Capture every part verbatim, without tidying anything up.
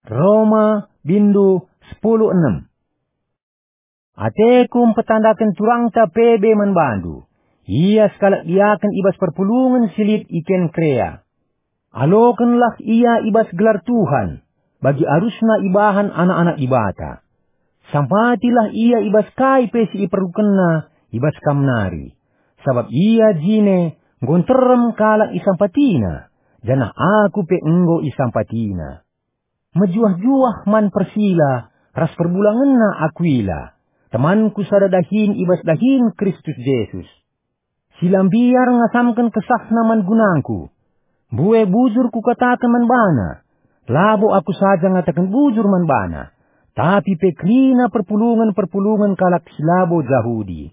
Roma, bindu sepuluh enem. Ateku mpetandaken turangta Pebe man bandu. Ia sekalak diaken i bas perpulungen si lit i Kenkrea. Alokenlah ia i bas gelar Tuhan, bagi arusna ibahan anak-anak Dibata. Sampatilah ia i bas kai pe si iperlukenna i bas kam nari, sabap ia jine enggo nterem kalak isampatina, janah aku pe enggo isampatina. Mejuah-juah man Persila ras perbulangenna Akuila, temanku sada dahin i bas dahin Kristus Jesus. Si la mbiar ngasamken kesahna man gunangku. Mbue bujur kukataken man bana. Labo aku saja ngataken bujur man bana, tapi pe kerina perpulungen-perpulungen kalak si labo Jahudi.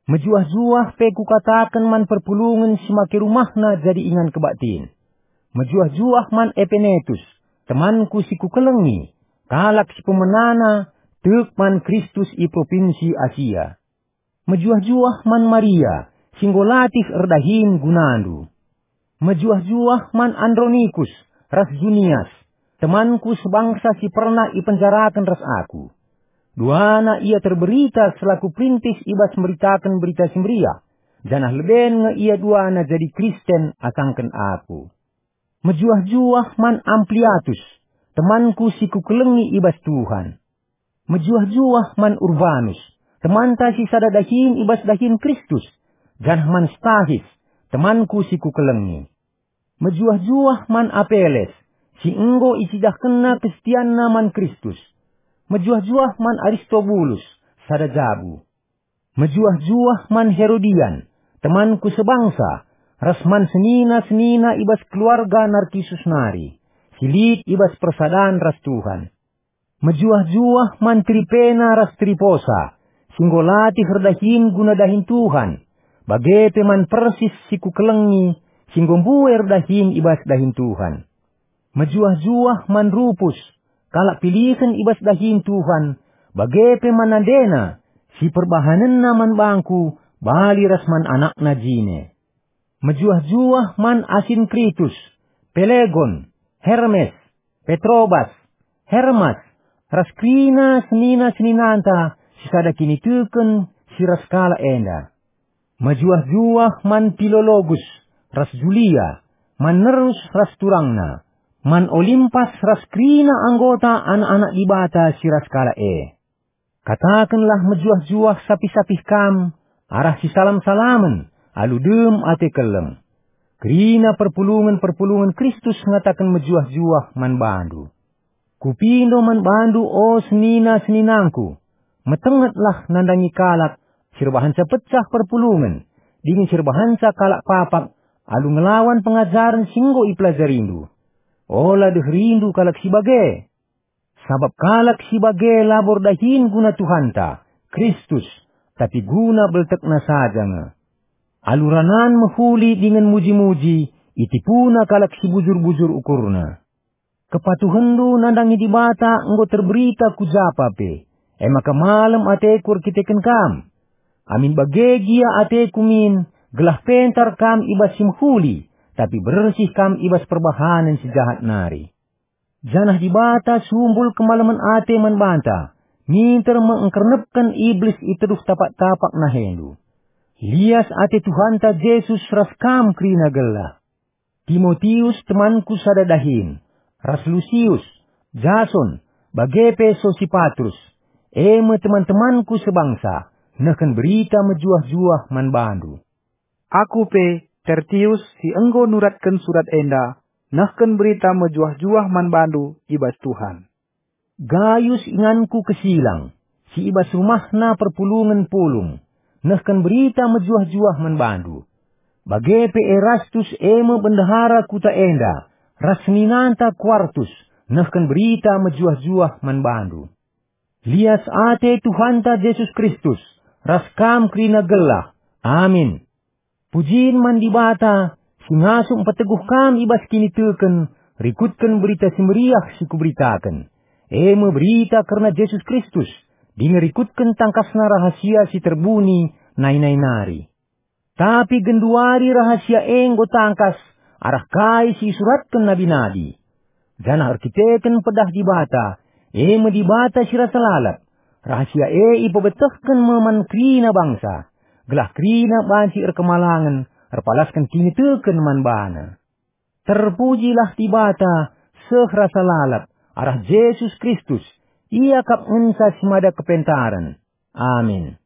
Mejuah-juah pe kukataken man perpulungen si make rumahna jadi ingan kebaktin. Mejuah-juah man Epenetus, temanku si kukelengi, kalak si pemenana tek man Kristus i propinsi Asia. Mejuah-juah man Maria, si enggo latih erdahin gunandu. Mejuah-juah man Andronikus ras Junias, temanku sebangsa si pernah ipenjaraken ras aku. Duana ia terberita selaku perintis i bas meritaken Berita Si Meriah, janah leben nge ia duana jadi Kristen asangken aku. Mejuah-juah man Ampliatus, temanku si kukelengi i bas Tuhan. Mejuah-juah man Urbanus, temanta si sada dahin i bas dahin Kristus, janah man Stahis, temanku si kukelengi. Mejuah-juah man Apeles, si enggo icidahkenna kesetianna man Kristus. Mejuah-juah man Aristobulus, sada jabu. Mejuah-juah man Herodian, temanku sebangsa, ras man senina-senina i bas keluarga Narkisus nari, si lit i bas persadan ras Tuhan. Mejuah-juah man Tripena ras Triposa, si enggo latih erdahin guna dahin Tuhan, bage pe man Persis si kukelengi, si enggo mbue erdahin i bas dahin Tuhan. Mejuah-juah man Rupus, kalak pilihen i bas dahin Tuhan, bage pe man nandena, si perbahanenna man bangku, bali ras man anakna jine. Mejuah-juah man Asinkritus, Pelegon, Hermes, Petrobas, Hermas, ras kerina senina-seninanta si sada kiniteken si ras kalak enda. Mejuah-juah man Pilologus ras Julia, man Nerus ras turangna, man Olimpas ras kerina anggota anak-anak Dibata si ras kalak e. Katakenlah mejuah-juah sapih-sapih kam arah sisalam-salamen alu dem ate keleng. Kerina perpulungen-perpulungen Kristus ngataken mejuah-juah man bandu. Kupindo man bandu, o senina-seninangku, metengetlah nandangi kalak si erbahanca pecah perpulungen, dingen si erbahanca kalak papak alu ngelawan pengajaren si enggo ipelajarindu. Ola deherindu kalak si bage. Sabap kalak si bage labo erdahin guna Tuhanta, Kristus, tapi guna beltekna saja nge. Alu ranan mehuli dingen muji-muji, itipuna kalak si bujur-bujur ukurna. Kepatuhenndu nandangi Dibata enggo terberita ku japa pe, e maka malem ateku erkiteken kam. Amin bage gia ateku min, gelah pentar kam i bas si mehuli, tapi bersih kam i bas perbahanen si jahat nari. Janah Dibata sumbul kemalemen ate man banta, minter me engkernepken Iblis i teruh tapak-tapak nahendu. Lias ate Tuhanta Jesus ras kam kerina gelah. Timotius temanku sada dahin, ras Lusius, Jason, bage pe Sosipatrus, e me teman-temanku sebangsa, nehken berita mejuah-juah man bandu. Aku pe, Tertius, si enggo nuratken surat enda, nehken berita mejuah-juah man bandu i bas Tuhan. Gayus inganku kesilang, si i bas rumahna perpulungen pulung, nehken berita mejuah-juah man bandu. Bage pe Erastus, e me bendahara kuta enda, ras seninanta Kuartus, nehken berita mejuah-juah man bandu. Lias ate Tuhanta Jesus Kristus, ras kam kerina gelah. Amin. Pujin man Dibata, si ngasup mpeteguh kam i bas kiniteken, rikutken Berita Si Meriah si kuberitaken, e me berita kerna Jesus Kristus, dingen rikutken tangkasna rahasia si terbuni nai-nai nari. Tapi genduari rahasia e enggo tangkas arah kai si isuratken nabi-nabi. janah erkiteken pedah Dibata, e me Dibata si rasa lalap, rahasia e ipebetehken me man kerina bangsa, gelah kerina banci erkemalangen erpalasken kiniteken man bana. Terpujilah Dibata seh rasa lalap arah Jesus Kristus, Ia kap ngenca si mada kepentaren. Amin.